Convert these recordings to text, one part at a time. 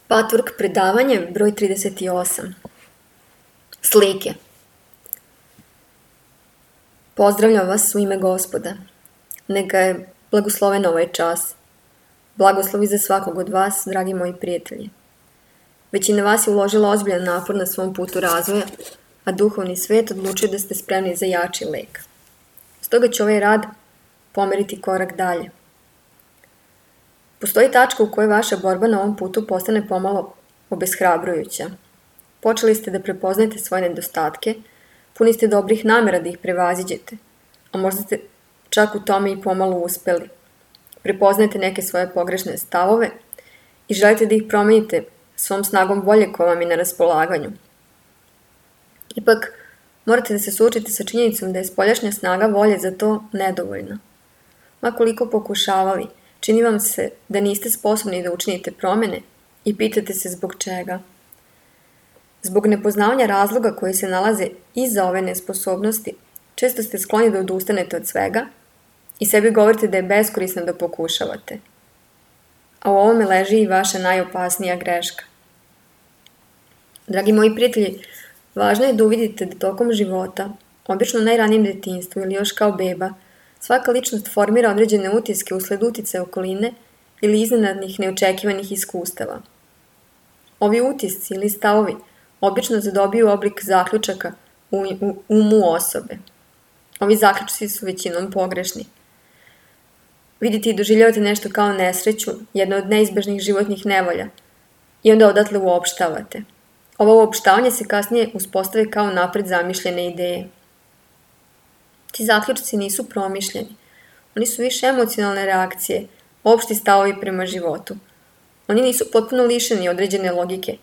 Patvork predavanje broj 38. Slike. Pozdravljam vas u ime Gospoda. Neka je blagosloven ovaj čas. Blagoslovi za svakog od vas, dragi moji prijatelji. Većina vas je uložila ozbiljan napor na svom putu razvoja, a duhovni svet odlučio da ste spremni za jači lek. Stoga će ovaj rad pomeriti korak dalje. Postoji tačka u kojoj vaša borba na ovom putu postane pomalo obeshrabrujuća. Počeli ste da prepoznajete svoje nedostatke, puni ste dobrih namera da ih prevaziđete, a možda ste čak u tome i pomalo uspeli. Prepoznajete neke svoje pogrešne stavove i želite da ih promenite svom snagom volje koja vam je na raspolaganju. Ipak, morate da se suočite sa činjenicom da je spoljašnja snaga volje za to nedovoljna. Ma koliko pokušavali, čini vam se da niste sposobni da učinite promene i pitate se zbog čega. Zbog nepoznavanja razloga koji se nalaze iza ove nesposobnosti, često ste skloni da odustanete od svega i sebi govorite da je beskorisno da pokušavate. A u ovome leži i vaša najopasnija greška. Dragi moji prijatelji, važno je da uvidite da tokom života, obično u najranijem detinjstvu ili još kao beba, svaka ličnost formira određene utiske usled uticaja okoline ili iznenadnih neočekivanih iskustava. Ovi utisci ili stavovi obično zadobiju oblik zaključaka u umu osobe. Ovi zaključci su većinom pogrešni. Vidite i doživljavate nešto kao nesreću, jedno od neizbežnih životnih nevolja, i onda odatle uopštavate. Ovo uopštavanje se kasnije uspostave kao napred zamišljene ideje. Ti zaključci nisu promišljeni. Oni su više emocionalne reakcije, opšti stavovi prema životu. Oni nisu potpuno lišeni određene logike,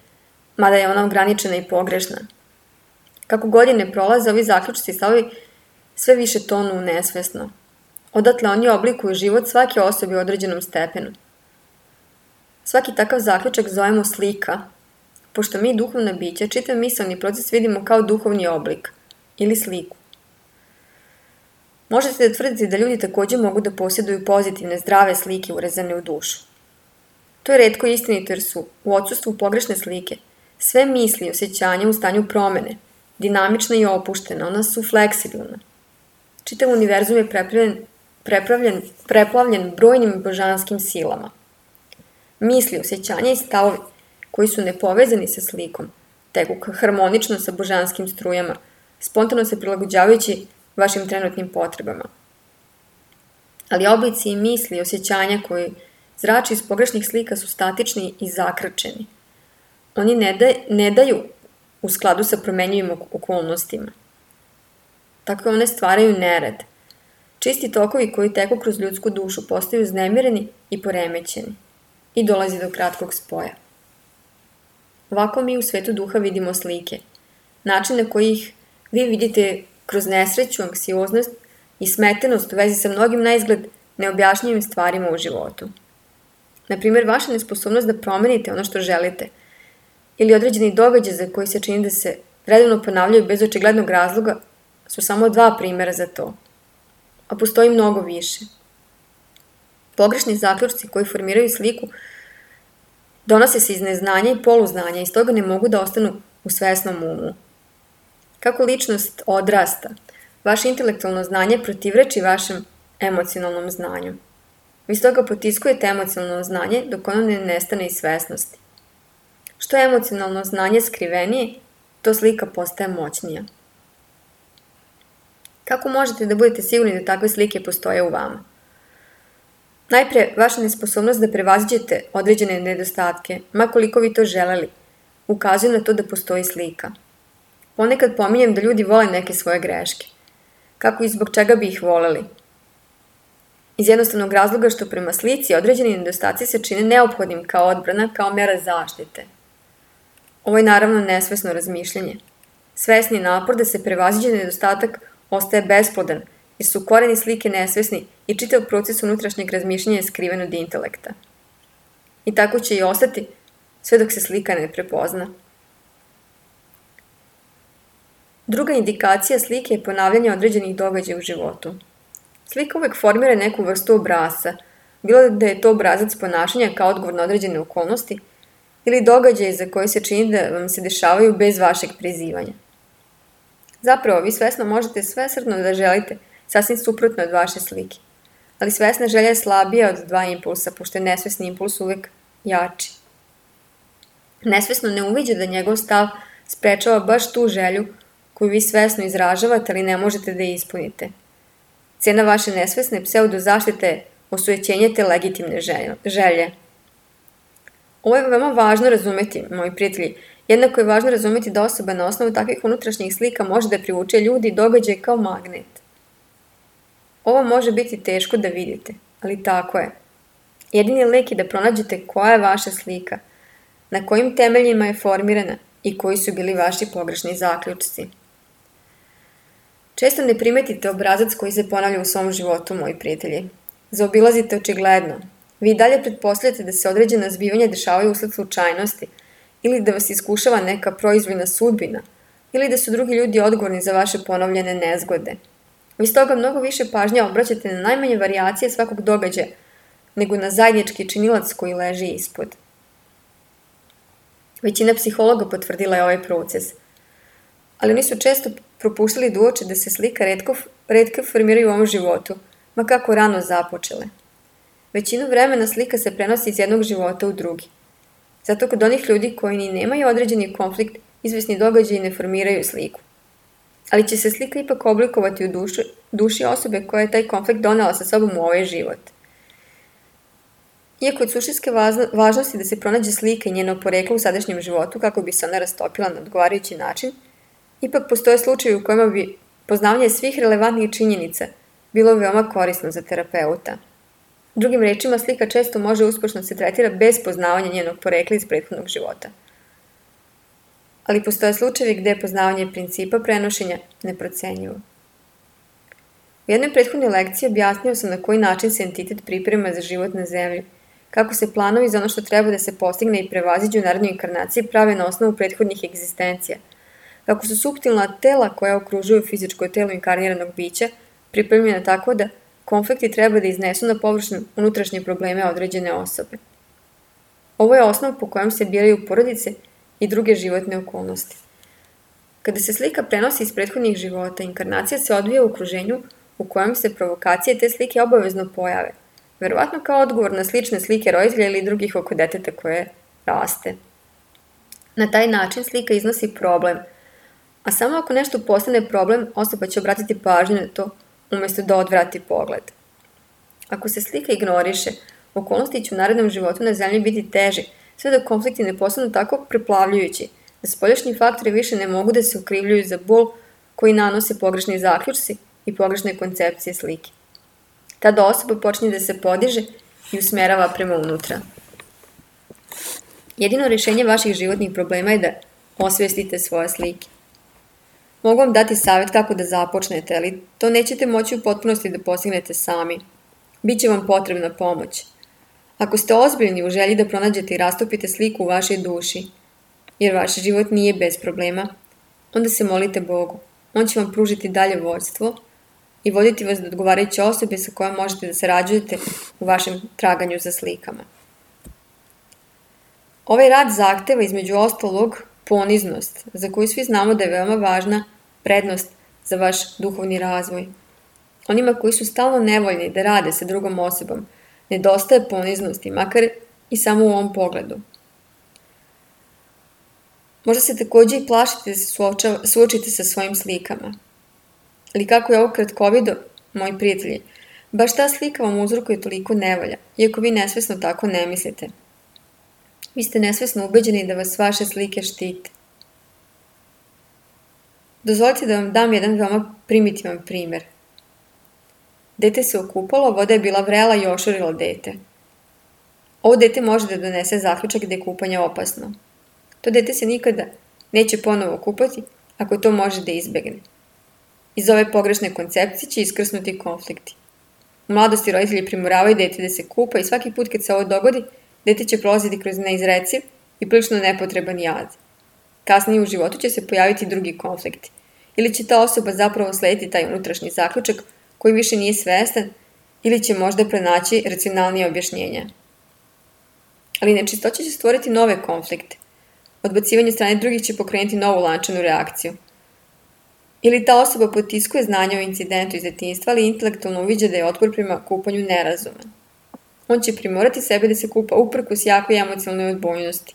mada je ona ograničena i pogrešna. Kako godine prolaze, ovi zaključci i stavovi sve više tonu nesvesno. Odatle oni oblikuju život svake osobe u određenom stepenu. Svaki takav zaključak zovemo slika, pošto mi duhovna bića čitav misaoni proces vidimo kao duhovni oblik ili sliku. Možete da tvrdite da ljudi takođe mogu da posjeduju pozitivne, zdrave slike urezane u dušu. To je retko istinito jer su u odsustvu pogrešne slike sve misli i osjećanja u stanju promene, dinamična i opuštena, ona su fleksibilna. Čitav univerzum je preplavljen brojnim božanskim silama. Misli, osjećanja i stavovi koji su nepovezani sa slikom, teku harmonično sa božanskim strujama, spontano se prilagođavajući vašim trenutnim potrebama. Ali oblici i misli i osjećanja koji zrače iz pogrešnih slika su statični i zakrčeni. Oni ne daju u skladu sa promenjivim okolnostima. Tako one stvaraju nered. Čisti tokovi koji teku kroz ljudsku dušu postaju uznemireni i poremećeni i dolazi do kratkog spoja. Ovako mi u svetu duha vidimo slike, način na koji ih vi vidite kroz nesreću, anksioznost i smetenost u vezi sa mnogim naizgled neobjašnjivim stvarima u životu. Naprimjer, vaša nesposobnost da promenite ono što želite ili određeni događaj za koji se čini da se redovno ponavljaju bez očiglednog razloga su samo dva primjera za to, a postoji mnogo više. Pogrešni zaključci koji formiraju sliku donose se iz neznanja i poluznanja i stoga ne mogu da ostanu u svesnom umu. Kako ličnost odrasta, vaše intelektualno znanje protivreči vašem emocionalnom znanju. Vi stoga potiskujete emocionalno znanje dok ono ne nestane iz svesnosti. Što je emocionalno znanje skrivenije, to slika postaje moćnija. Kako možete da budete sigurni da takve slike postoje u vama? Najpre, vaša nesposobnost da prevaziđete određene nedostatke, ma koliko vi to želeli, ukazuje na to da postoji slika. Ponekad pominjem da ljudi vole neke svoje greške. Kako i zbog čega bi ih voleli? Iz jednostavnog razloga što prema slici određeni nedostaci se čine neophodnim kao odbrana, kao mera zaštite. Ovo je naravno nesvesno razmišljanje. Svesni napor da se prevaziđe nedostatak ostaje besplodan, jer su koreni slike nesvesni i čitav proces unutrašnjeg razmišljanja je skriven od intelekta. I tako će i ostati sve dok se slika ne prepozna. Druga indikacija slike je ponavljanje određenih događaja u životu. Slika uvek formira neku vrstu obrasca, bilo da je to obrazac ponašanja kao odgovor na određene okolnosti ili događaje za koje se čini da vam se dešavaju bez vašeg prizivanja. Zapravo, vi svesno možete svesrdno da želite sasvim suprotno od vaše slike, ali svesna želja je slabija od dva impulsa, pošto je nesvesni impuls uvek jači. Nesvesno ne uviđa da njegov stav sprečava baš tu želju koju vi svesno izražavate, ali ne možete da je ispunite. Cena vaše nesvesne pseudozaštite je osujećenje te legitimne želje. Ovo je veoma važno razumeti, moji prijatelji. Jednako je važno razumeti da osoba na osnovu takvih unutrašnjih slika može da privuče ljudi i događaje kao magnet. Ovo može biti teško da vidite, ali tako je. Jedini lek je da pronađete koja je vaša slika, na kojim temeljima je formirana i koji su bili vaši pogrešni zaključci. Često ne primetite obrazac koji se ponavlja u svom životu, moji prijatelji. Zaobilazite očigledno. Vi dalje pretpostavljate da se određena zbivanja dešavaju usled slučajnosti, ili da vas iskušava neka proizvoljna sudbina, ili da su drugi ljudi odgovorni za vaše ponovljene nezgode. Vi stoga mnogo više pažnje obraćate na najmanje varijacije svakog događaja, nego na zajednički činilac koji leži ispod. Većina psihologa potvrdila je ovaj proces, ali oni su često propuštali da uoče da se slika retko formiraju u ovom životu, ma kako rano započele. Većinu vremena slika se prenosi iz jednog života u drugi. Zato kod onih ljudi koji ni nemaju određeni konflikt, izvesni događaji ne formiraju sliku. Ali će se slika ipak oblikovati u duši osobe koja je taj konflikt donela sa sobom u ovaj život. Iako od suštinske važnosti da se pronađe slika i njeno poreklo u sadašnjem životu kako bi se ona rastopila na odgovarajući način, ipak postoje slučajevi u kojima bi poznavanje svih relevantnih činjenica bilo veoma korisno za terapeuta. Drugim rečima, slika često može uspešno se tretira bez poznavanja njenog porekla iz prethodnog života. Ali postoje slučajevi gde je poznavanje principa prenošenja neprocenjivo. U jednoj prethodnoj lekciji objasnio sam na koji način se entitet priprema za život na zemlji, kako se planovi za ono što treba da se postigne i prevaziđu u narednoj inkarnaciji prave na osnovu prethodnih egzistencija, kako su suptilna tela koja okružuju fizičko telo inkarniranog bića pripremljena tako da konflikti treba da iznesu na površinu unutrašnje probleme određene osobe. Ovo je osnov po kojem se biraju porodice i druge životne okolnosti. Kada se slika prenosi iz prethodnih života, inkarnacija se odvija u okruženju u kojem se provokacije te slike obavezno pojave, verovatno kao odgovor na slične slike roditelja ili drugih oko deteta koje raste. Na taj način slika iznosi problem, a samo ako nešto postane problem, osoba će obratiti pažnju na to umesto da odvrati pogled. Ako se slika ignoriše, okolnosti će u narednom životu na zemlji biti teže, sve dok konflikti ne postanu tako preplavljujući, da spoljašnji faktori više ne mogu da se okrivljuju za bol koji nanose pogrešni zaključci i pogrešne koncepcije slike. Tada osoba počinje da se podiže i usmerava prema unutra. Jedino rješenje vaših životnih problema je da osvestite svoje slike. Mogu vam dati savjet kako da započnete, ali to nećete moći u potpunosti da postignete sami. Biće vam potrebna pomoć. Ako ste ozbiljni u želji da pronađete i rastopite sliku u vašoj duši, jer vaš život nije bez problema, onda se molite Bogu. On će vam pružiti dalje vođstvo i voditi vas do odgovarajuće osobe sa kojom možete da sarađujete u vašem traganju za slikama. Ovaj rad zahteva između ostalog poniznost, za koju svi znamo da je veoma važna prednost za vaš duhovni razvoj. Onima koji su stalno nevoljni da rade sa drugom osobom, nedostaje poniznosti, makar i samo u ovom pogledu. Možda se takođe i plašite da se suočite sa svojim slikama. Ali kako je ovo kratkovido, moji prijatelji, baš ta slika vam uzrokuje toliko nevolja, iako vi nesvesno tako ne mislite. Vi ste nesvesno ubeđeni da vas vaše slike štite. Dozvolite da vam dam jedan veoma primitivan primer. Dete se okupalo, voda je bila vrela i ošurila dete. Ovo dete može da donese zaključak da je kupanje opasno. To dete se nikada neće ponovo kupati ako to može da izbegne. Iz ove pogrešne koncepcije će iskrsnuti konflikti. U mladosti roditelji primoravaju dete da se kupa i svaki put kad se ovo dogodi, dete će prolaziti kroz neizreciv i prilično nepotreban jad. Kasnije u životu će se pojaviti drugi konflikti. Ili će ta osoba zapravo slediti taj unutrašnji zaključak koji više nije svestan ili će možda pronaći racionalnije objašnjenja. Ali nečistoća će stvoriti nove konflikte. Odbacivanje strane drugih će pokrenuti novu lančanu reakciju. Ili ta osoba potiskuje znanje o incidentu iz detinjstva, ali intelektualno uviđa da je otpor prema kupanju nerazuman. On će primorati sebe da se kupa uprkos jakoj emocionalnoj odbojnosti.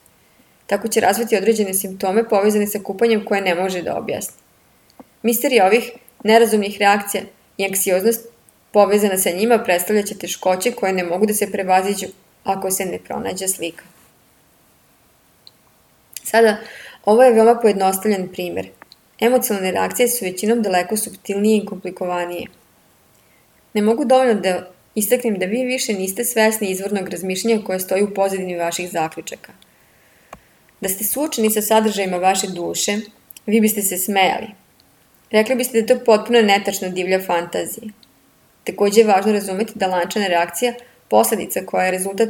Tako će razviti određene simptome povezane sa kupanjem koje ne može da objasni. Misterija ovih nerazumnih reakcija i anksioznost povezana sa njima predstavljaće teškoće koje ne mogu da se prevaziđu ako se ne pronađe slika. Sada, ovo je veoma pojednostavljen primer. Emocionalne reakcije su većinom daleko suptilnije i komplikovanije. Ne mogu dovoljno da istaknem da vi više niste svesni izvornog razmišljanja koje stoji u pozadini vaših zaključaka. Da ste suočeni sa sadržajima vaše duše, vi biste se smejali. Rekli biste da je to potpuno netačno divlja fantazija. Takođe je važno razumeti da lančana reakcija, posledica koja je rezultat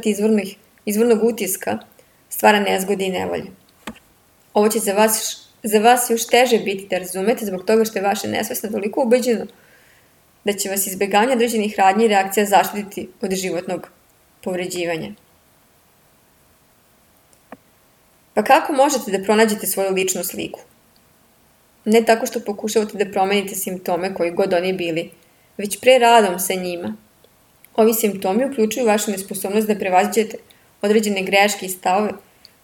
izvornog utiska, stvara nezgode i nevolje. Ovo će za vas još teže biti da razumete zbog toga što je vaše nesvesno toliko ubeđeno da će vas izbegavanje određenih radnji i reakcija zaštititi od životnog povređivanja. Pa kako možete da pronađete svoju ličnu sliku? Ne tako što pokušavate da promenite simptome koji god oni bili, već pre radom sa njima. Ovi simptomi uključuju vašu nesposobnost da prevaziđete određene greške i stavove,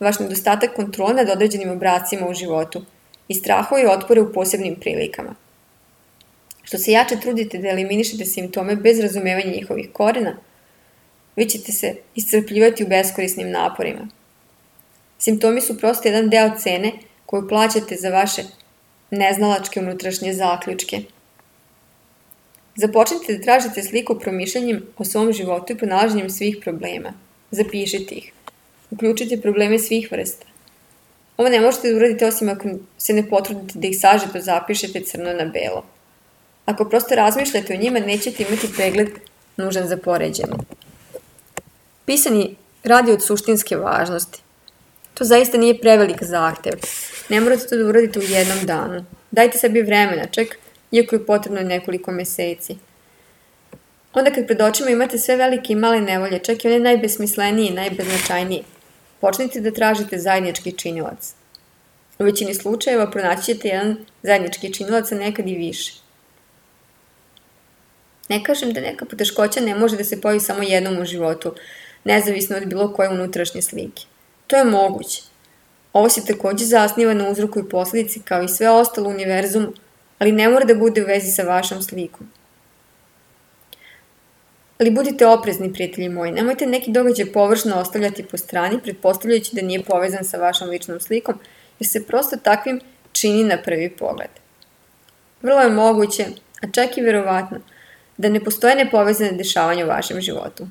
vaš nedostatak kontrole nad određenim obracima u životu i strahove i otpore u posebnim prilikama. Što se jače trudite da eliminišete simptome bez razumevanja njihovih korena, vi ćete se iscrpljivati u beskorisnim naporima. Simptomi su prosto jedan deo cene koju plaćate za vaše neznalačke unutrašnje zaključke. Započnite da tražite sliku promišljanjem o svom životu i pronalaženjem svih problema. Zapišite ih. Uključite probleme svih vrsta. Ovo ne možete da uradite osim ako se ne potrudite da ih sažeto zapišete crno na belo. Ako prosto razmišljate o njima, nećete imati pregled nužan za poređenje. Pisani radi od suštinske važnosti. To zaista nije prevelik zahtev. Ne morate to da uradite u jednom danu. Dajte sebi vremena, čak iako je potrebno nekoliko meseci. Onda kad pred očima imate sve velike i male nevolje, čak i one najbesmislenije i najbeznačajnije, počnite da tražite zajednički činilac. U većini slučajeva pronaći ćete jedan zajednički činilac, a nekad i više. Ne kažem da neka poteškoća ne može da se pojavi samo jednom u životu, nezavisno od bilo koje unutrašnje slike. To je moguće. Ovo se takođe zasniva na uzroku i posledici kao i sve ostalo u univerzumu, ali ne mora da bude u vezi sa vašom slikom. Ali budite oprezni, prijatelji moji, nemojte neki događaj površno ostavljati po strani, pretpostavljajući da nije povezan sa vašom ličnom slikom, jer se prosto takvim čini na prvi pogled. Vrlo je moguće, a čak i verovatno, da ne postoje nepovezane dešavanja u vašem životu.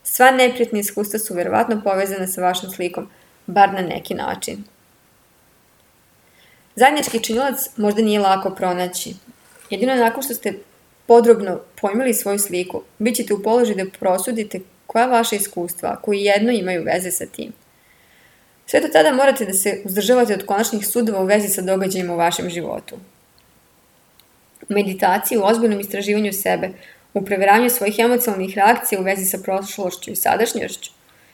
Sva neprijatna iskustva su verovatno povezana sa vašom slikom, bar na neki način. Zajednički činilac možda nije lako pronaći. Jedino nakon što ste podrobno pojmili svoju sliku, bit ćete u položaju da prosudite koja vaša iskustva, koji jedno imaju veze sa tim. Sve do tada morate da se uzdržavate od konačnih sudova u vezi sa događajima u vašem životu. U meditaciji, u ozbiljnom istraživanju sebe, u proveravanju svojih emocionalnih reakcija u vezi sa prošlošću i sadašnjošću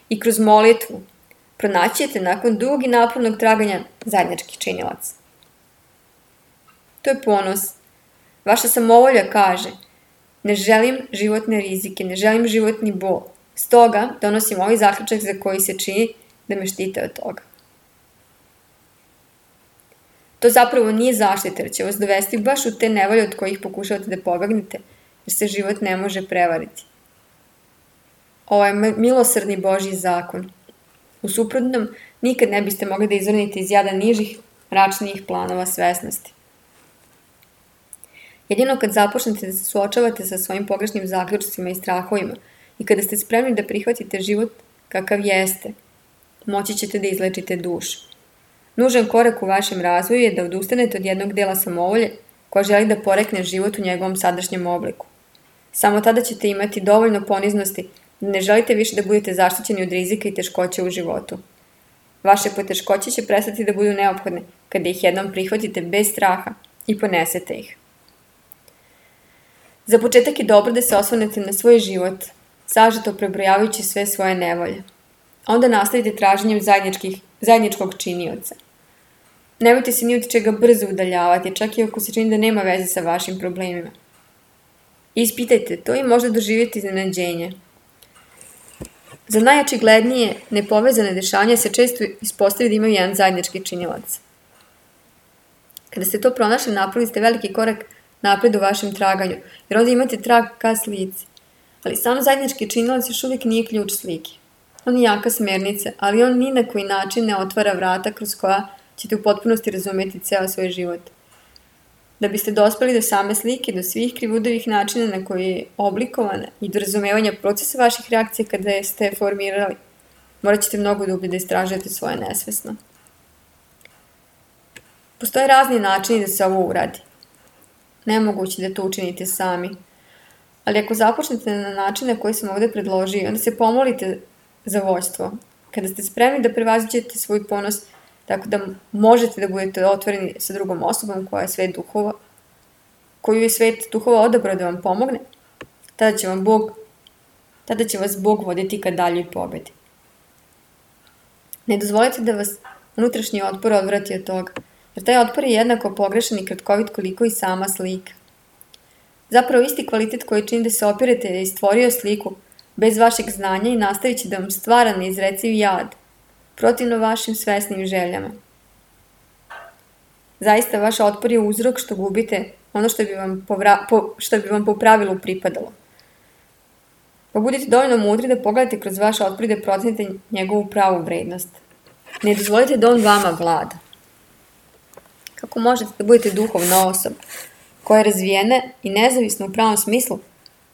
i kroz molitvu, pronaći ćete nakon dugog i napornog traganja zajednički činilac. To je ponos. Vaša samovolja kaže: ne želim životne rizike, ne želim životni bol. Stoga donosim ovaj zaključak za koji se čini da me štite od toga. To zapravo nije zaštita, jer će vas dovesti baš u te nevolje od kojih pokušavate da pobegnete, jer se život ne može prevariti. Ovo je milosrdni Božji zakon. U suprotnom, nikad ne biste mogli da izvrnite iz jada nižih, mračnijih planova svesnosti. Jedino kad započnete da se suočavate sa svojim pogrešnim zaključcima i strahovima i kada ste spremni da prihvatite život kakav jeste, moći ćete da izlečite dušu. Nužan korak u vašem razvoju je da odustanete od jednog dela samovolje koja želi da porekne život u njegovom sadašnjem obliku. Samo tada ćete imati dovoljno poniznosti da ne želite više da budete zaštićeni od rizika i teškoća u životu. Vaše poteškoće će prestati da budu neophodne kada ih jednom prihvatite bez straha i ponesete ih. Za početak je dobro da se osvrnete na svoj život, sažeto prebrojavajući sve svoje nevolje. onda nastavite traženjem zajedničkog činioca. Nemojte se ni od čega brzo udaljavati, čak i ako se čini da nema veze sa vašim problemima. Ispitajte to i možda doživjeti iznenađenje. Za najočiglednije nepovezane dešavanja se često ispostavi da imaju jedan zajednički činilac. Kada ste to pronašli, napravili ste veliki korak napred u vašem traganju, jer onda imate trag ka slici. Ali sam zajednički činilac još uvijek nije ključ slike. On je jaka smernica, ali on ni na koji način ne otvara vrata kroz koja ćete u potpunosti razumjeti ceo svoj život. Da biste dospeli do same slike, do svih krivudovih načina na koji je oblikovana i do razumevanja procesa vaših reakcija kada ste formirali, morat ćete mnogo dublje da istražujete svoje nesvesno. Postoje razni načini da se ovo uradi. Nemoguće da to učinite sami. Ali ako započnete na način na koji sam ovdje predložio, onda se pomolite za vođstvo. Kada ste spremni da prevaziđete svoj ponos, tako da možete da budete otvoreni sa drugom osobom koju je svet duhova odabrao da vam pomogne, tada će vas Bog voditi ka daljoj pobedi. Ne dozvolite da vas unutrašnji otpor odvrati od toga, jer taj otpor je jednako pogrešan i kratkovit koliko i sama slika. Zapravo isti kvalitet koji čini da se opirete je stvorio sliku bez vašeg znanja i nastavit će da vam stvara neizreciv jad, protivno vašim svesnim željama. Zaista, vaš otpor je uzrok što gubite ono što bi vam po pravilu pripadalo. Pa budite dovoljno mudri da pogledate kroz vaš otpor i da procenite njegovu pravu vrednost. Ne dozvolite da on vama vlada. Kako možete da budete duhovna osoba koja je razvijena i nezavisna u pravom smislu,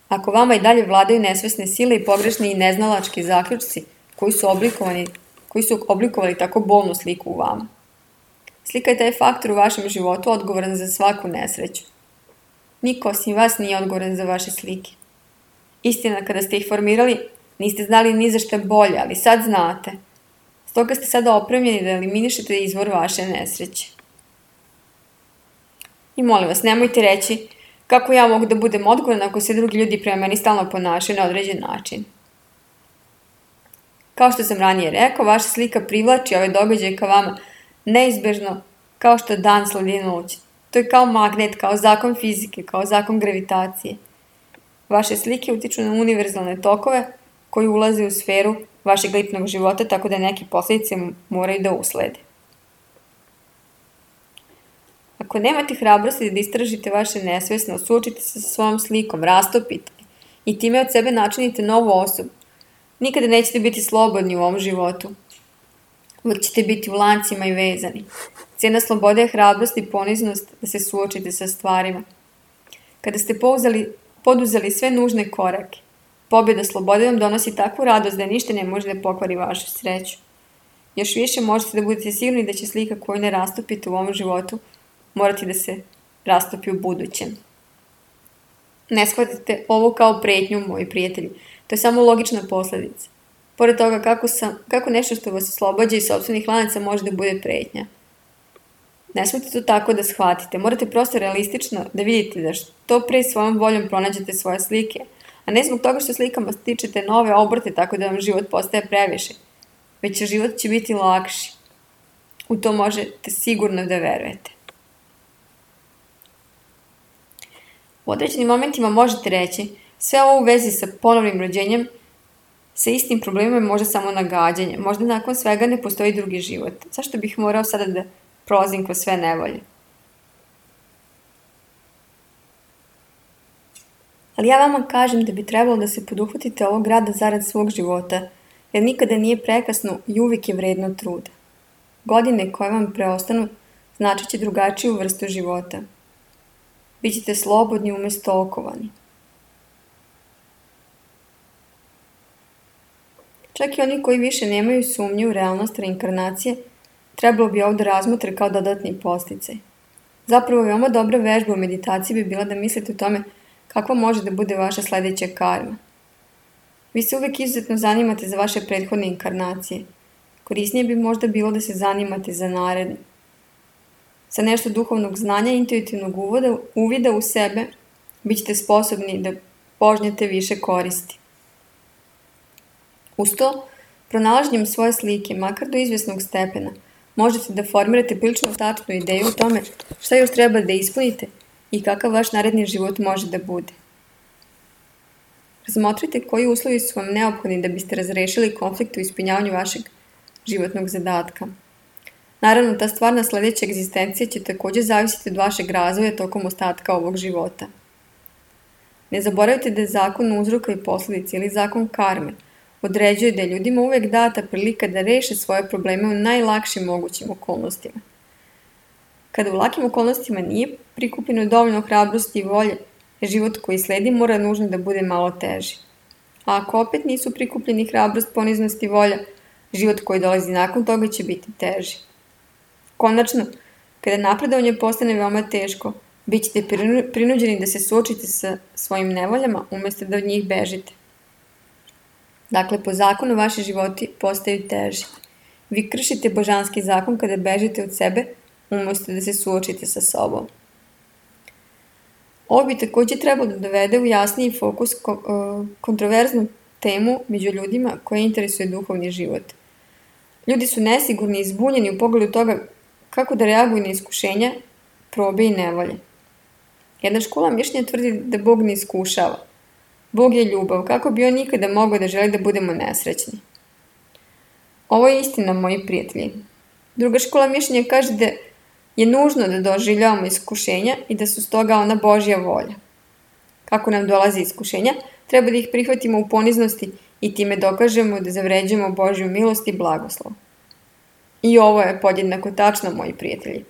ako vama i dalje vladaju nesvesne sile i pogrešni i neznalački zaključci koji su oblikovali tako bolnu sliku u vama? Slika je taj faktor u vašem životu odgovoran za svaku nesreću. Niko osim vas nije odgovoran za vaše slike. Istina, kada ste ih formirali, niste znali ni za šta bolje, ali sad znate. Stoga ste sada opremljeni da eliminišete izvor vaše nesreće. I molim vas, nemojte reći kako ja mogu da budem odgovorna ako se drugi ljudi prema meni stalno ponašaju na određen način. Kao što sam ranije rekao, vaša slika privlači ove događaje ka vama neizbežno, kao što dan sledi noć. To je kao magnet, kao zakon fizike, kao zakon gravitacije. Vaše slike utiču na univerzalne tokove koji ulaze u sferu vašeg ličnog života, tako da neke posljedice moraju da uslede. Ako nemate hrabrosti da istražite vaše nesvesno, suočite se sa svojom slikom, rastopite i time od sebe načinite novu osobu, nikada nećete biti slobodni u ovom životu. Uvijek ćete biti u lancima i vezani. Cijena slobode je hrabrost i poniznost da se suočite sa stvarima. Kada ste poduzeli sve nužne korake, pobjeda slobode vam donosi takvu radost da ništa ne može da pokvari vašu sreću. Još više možete da budete sigurni da će slika koju ne rastopite u ovom životu morati da se rastopi u budućem. Ne shvatite ovo kao pretnju, moji prijatelji. To je samo logična posljedica. Pored toga kako nešto što vas oslobađa iz sopstvenih lanaca može da bude pretnja. Ne smijete to tako da shvatite. Morate prosto realistično da vidite da što pre svojom voljom pronađete svoje slike, a ne zbog toga što slikama stičete nove obrte tako da vam život postaje previše, već život će biti lakši. U to možete sigurno da verujete. U određenim momentima možete reći, sve ovo u vezi sa ponovnim rođenjem, sa istim problemima je možda samo nagađanje. Možda nakon svega ne postoji drugi život. Zašto bih morao sada da prolazim kroz sve nevolje? Ali ja vama kažem da bi trebalo da se poduhvatite ovog rada zarad svog života, jer nikada nije prekasno i uvijek je vredno truda. Godine koje vam preostanu značit će drugačiju vrstu života. Bićete slobodni umjesto okovani. Čak i oni koji više nemaju sumnje u realnost reinkarnacije, trebalo bi ovdje razmotre kao dodatni podsticaj. Zapravo, veoma dobra vežba u meditaciji bi bila da mislite o tome kakva može da bude vaša sljedeća karma. Vi se uvijek izuzetno zanimate za vaše prethodne inkarnacije. Korisnije bi možda bilo da se zanimate za naredne. Sa nešto duhovnog znanja i intuitivnog uvida u sebe, bit ćete sposobni da požnjete više koristi. Uz to, Pronalaženjem svoje slike, makar do izvjesnog stepena, možete da formirate prilično tačnu ideju o tome šta još treba da ispunite i kakav vaš naredni život može da bude. Razmotrite koji uslovi su vam neophodni da biste razrešili konflikt u ispunjavanju vašeg životnog zadatka. Naravno, ta stvarna sledeća egzistencija će takođe zavisiti od vašeg razvoja tokom ostatka ovog života. Ne zaboravite da je zakon uzroka i posledica ili zakon karme određuje da je ljudima uvek data prilika da reše svoje probleme u najlakšim mogućim okolnostima. Kada u lakim okolnostima nije prikupljeno dovoljno hrabrosti i volje, život koji sledi mora nužno da bude malo teži. A ako opet nisu prikupljeni hrabrost, poniznost i volja, život koji dolazi nakon toga će biti teži. Konačno, kada napredovanje postane veoma teško, bit ćete prinuđeni da se suočite sa svojim nevoljama umjesto da od njih bežite. Dakle, po zakonu vaši životi postaju teži. Vi kršite božanski zakon kada bežite od sebe umjesto da se suočite sa sobom. Ovo bi takođe trebalo da dovede u jasniji fokus kontroverznu temu među ljudima koje interesuje duhovni život. Ljudi su nesigurni i zbunjeni u pogledu toga kako da reaguju na iskušenja, probe i nevolje. Jedna škola mišljenja tvrdi da Bog ne iskušava. Bog je ljubav, kako bi on nikada mogao da želi da budemo nesrećni. Ovo je istina, moji prijatelji. Druga škola mišljenja kaže da je nužno da doživljavamo iskušenja i da su stoga ona Božja volja. Kako nam dolaze iskušenja, treba da ih prihvatimo u poniznosti i time dokažemo da zavređujemo Božju milost i blagoslov. I ovo je podjednako tačno, moji prijatelji.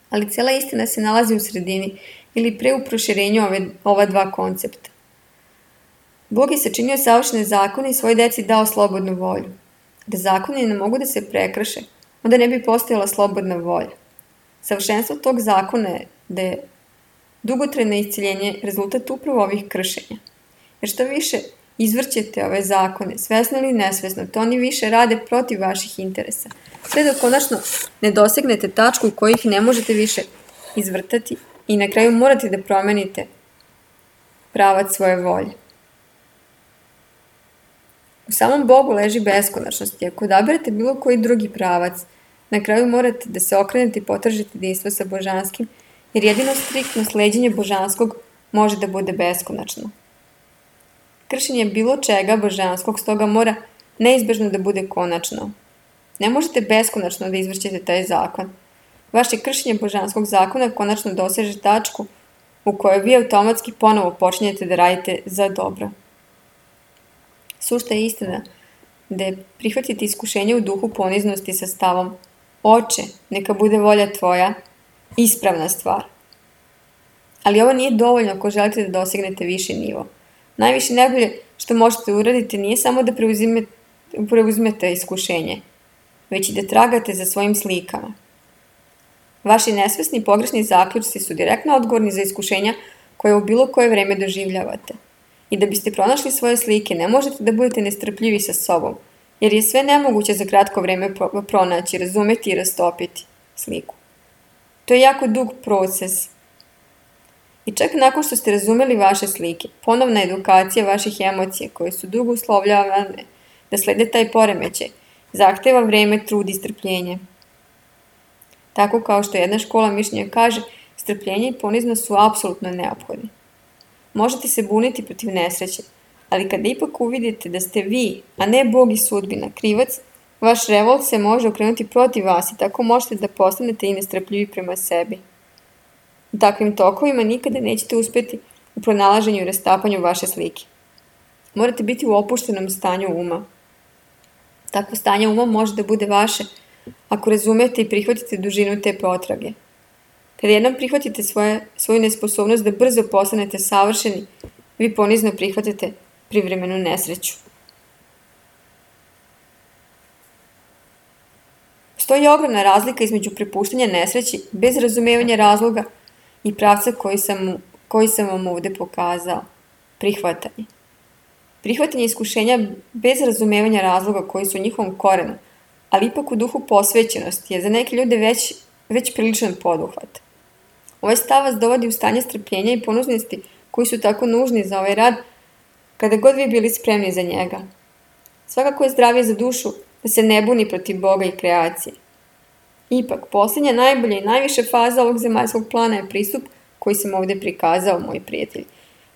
Ali cela istina se nalazi u sredini ili pre u proširenju ova dva koncepta. Bog je sačinio savršene zakone i svoj deci dao slobodnu volju. Da zakoni ne mogu da se prekrše, onda ne bi postojala slobodna volja. Savršenstvo tog zakona je da je dugotrajno isceljenje rezultat upravo ovih kršenja. Jer što više izvrćete ove zakone, svesno ili nesvesno, to oni više rade protiv vaših interesa. Sve dok konačno ne dosegnete tačku u kojih ne možete više izvrtati i na kraju morate da promenite pravac svoje volje. U samom Bogu leži beskonačnost i ako odaberete bilo koji drugi pravac, na kraju morate da se okrenete i potražite jedinstvo sa božanskim, jer jedino striktno sleđenje božanskog može da bude beskonačno. Kršenje bilo čega božanskog stoga mora neizbežno da bude konačno. Ne možete beskonačno da izvrćete taj zakon. Vaše kršenje božanskog zakona konačno doseže tačku u kojoj vi automatski ponovo počinjete da radite za dobro. Sušta je istina da je prihvatiti iskušenje u duhu poniznosti sa stavom Oče, neka bude volja tvoja, ispravna stvar. Ali ovo nije dovoljno ako želite da dosegnete viši nivo. Najviše najbolje što možete uraditi nije samo da preuzmete iskušenje, već i da tragate za svojim slikama. Vaši nesvesni i pogrešni zaključci su direktno odgovorni za iskušenja koje u bilo koje vreme doživljavate. I da biste pronašli svoje slike, ne možete da budete nestrpljivi sa sobom, jer je sve nemoguće za kratko vreme pronaći, razumeti i rastopiti sliku. To je jako dug proces. I čak nakon što ste razumeli vaše slike, ponovna edukacija vaših emocija koje su dugo uslovljavane da slede taj poremećaj, zahteva vreme, trud i strpljenje. Tako kao što jedna škola mišljenja kaže, strpljenje i poniznost su apsolutno neophodni. Možete se buniti protiv nesreće, ali kada ipak uvidite da ste vi, a ne Bog i sudbina, krivac, vaš revolt se može okrenuti protiv vas i tako možete da postanete i nestrpljivi prema sebi. U takvim tokovima nikada nećete uspjeti u pronalaženju i rastapanju vaše slike. Morate biti u opuštenom stanju uma. Takvo stanje uma može da bude vaše ako razumete i prihvatite dužinu te potrage. Kada jednom prihvatite svoju nesposobnost da brzo postanete savršeni, vi ponizno prihvatate privremenu nesreću. Postoji ogromna razlika između prepuštanja nesreći bez razumevanja razloga i pravca koji sam vam ovde pokazao. Prihvatanje. Prihvatanje iskušenja bez razumevanja razloga koji su u njihovom korenu, ali ipak u duhu posvećenosti je za neke ljude već priličan poduhvat. Ovaj stav vas dovodi u stanje strpljenja i poniznosti koji su tako nužni za ovaj rad kada god vi bili spremni za njega. Svakako je zdravije za dušu da se ne buni protiv Boga i kreacije. Ipak, posljednja, najbolja i najviše faza ovog zemaljskog plana je pristup koji sam ovdje prikazao, moji prijatelji.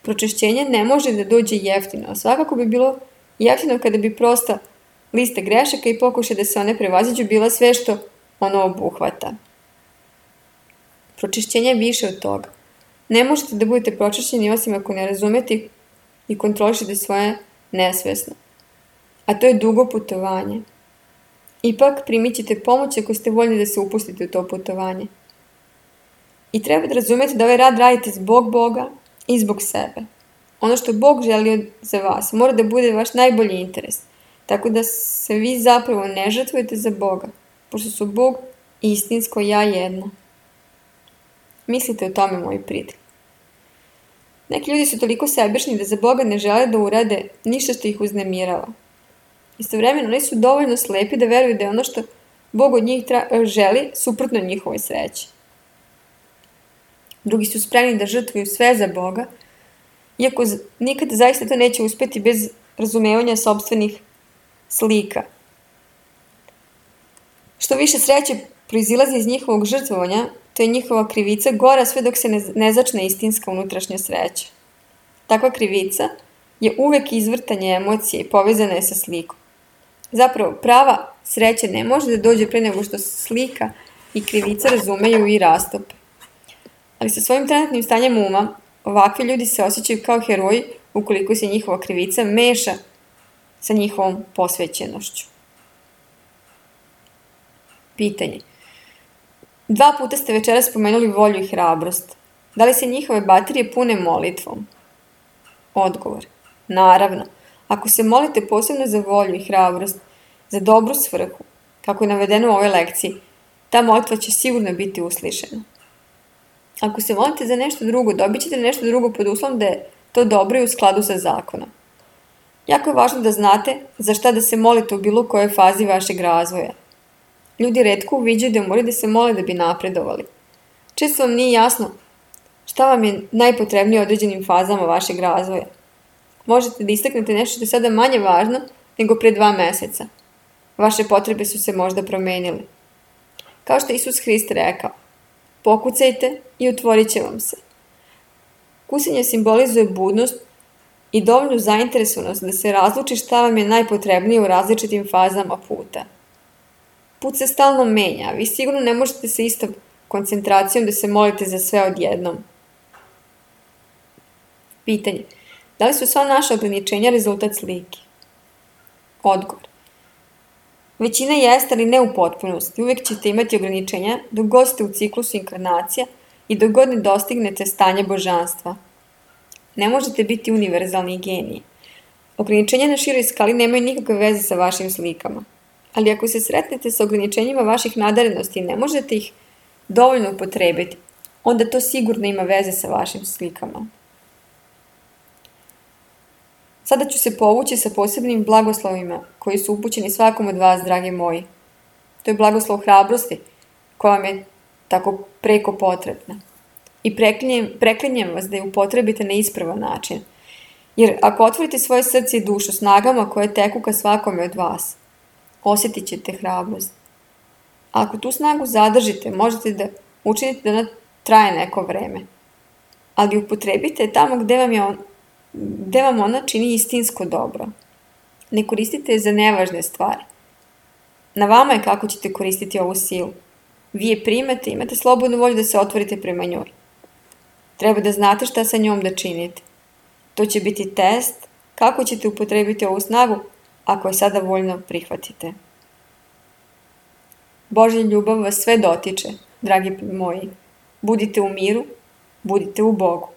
Pročišćenje ne može da dođe jeftino, a svakako bi bilo jeftino kada bi prosta lista grešaka i pokušaj da se one prevaziđu bila sve što ono obuhvata. Pročišćenje je više od toga. Ne možete da budete pročišćeni osim ako ne razumete i kontrolišete svoje nesvesno. A to je dugo putovanje. Ipak primit ćete pomoć ako ste voljni da se upustite u to putovanje. I treba da razumete da ovaj rad radite zbog Boga i zbog sebe. Ono što Bog želi za vas mora da bude vaš najbolji interes, tako da se vi zapravo ne žrtvujete za Boga, pošto su Bog i istinsko ja jedno. Mislite o tome, moji prijatelji. Neki ljudi su toliko sebični da za Boga ne žele da urade ništa što ih uznemirava. Istovremeno, oni su dovoljno slepi da veruju da je ono što Bog od njih želi suprotno njihovoj sreći. Drugi su spremni da žrtvuju sve za Boga, iako nikad zaista to neće uspjeti bez razumevanja sopstvenih slika. Što više sreće proizilazi iz njihovog žrtvovanja, to je njihova krivica gora sve dok se ne začne istinska unutrašnja sreća. Takva krivica je uvek izvrtanje emocije i povezana je sa slikom. Zapravo, prava sreća ne može da dođe pre nego što slika i krivica razumeju i rastope. Ali sa svojim trenutnim stanjem uma, ovakvi ljudi se osjećaju kao heroji ukoliko se njihova krivica meša sa njihovom posvećenošću. Pitanje. 2 puta ste večeras spomenuli volju i hrabrost. Da li se njihove baterije pune molitvom? Odgovor. Naravno. Ako se molite posebno za volju i hrabrost, za dobru svrhu, kako je navedeno u ovoj lekciji, ta molitva će sigurno biti uslišena. Ako se molite za nešto drugo, dobit ćete nešto drugo pod uslovom da je to dobro i u skladu sa zakonom. Jako je važno da znate za šta da se molite u bilo kojoj fazi vašeg razvoja. Ljudi retko uviđaju da moraju da se mole da bi napredovali. Često vam nije jasno šta vam je najpotrebnije u određenim fazama vašeg razvoja. Možete da istaknete nešto što je sada manje važno nego pre 2 meseca. Vaše potrebe su se možda promenile. Kao što je Isus Hrist rekao, pokucajte i otvorit će vam se. Kucanje simbolizuje budnost i dovoljnu zainteresovanost da se razluči šta vam je najpotrebnije u različitim fazama puta. Put se stalno menja, a vi sigurno ne možete sa istom koncentracijom da se molite za sve odjednom. Pitanje. Da li su sva naša ograničenja rezultat slike? Odgovor. Većina jeste, ali ne u potpunosti. Uvijek ćete imati ograničenja dok god ste u ciklusu inkarnacija i dok god ne dostignete stanje božanstva. Ne možete biti univerzalni geniji. Ograničenja na široj skali nemaju nikakve veze sa vašim slikama. Ali ako se sretnete sa ograničenjima vaših nadarenosti i ne možete ih dovoljno upotrebiti, onda to sigurno ima veze sa vašim slikama. Sada ću se povući sa posebnim blagoslovima koji su upućeni svakom od vas, dragi moji. To je blagoslov hrabrosti koja vam je tako preko potrebna. I preklinjem vas da je upotrebite na ispravan način. Jer ako otvorite svoje srce i dušu snagama koje teku ka svakome od vas, osjetit ćete hrabrost. A ako tu snagu zadržite, možete da učinite da ona traje neko vreme. Ali upotrebite tamo gde vam ona čini istinsko dobro. Ne koristite je za nevažne stvari. Na vama je kako ćete koristiti ovu silu. Vi je primate, imate slobodnu volju da se otvorite prema njoj. Treba da znate šta sa njom da činite. To će biti test kako ćete upotrebiti ovu snagu ako je sada voljno prihvatite. Božja ljubav vas sve dotiče, dragi moji. Budite u miru, budite u Bogu.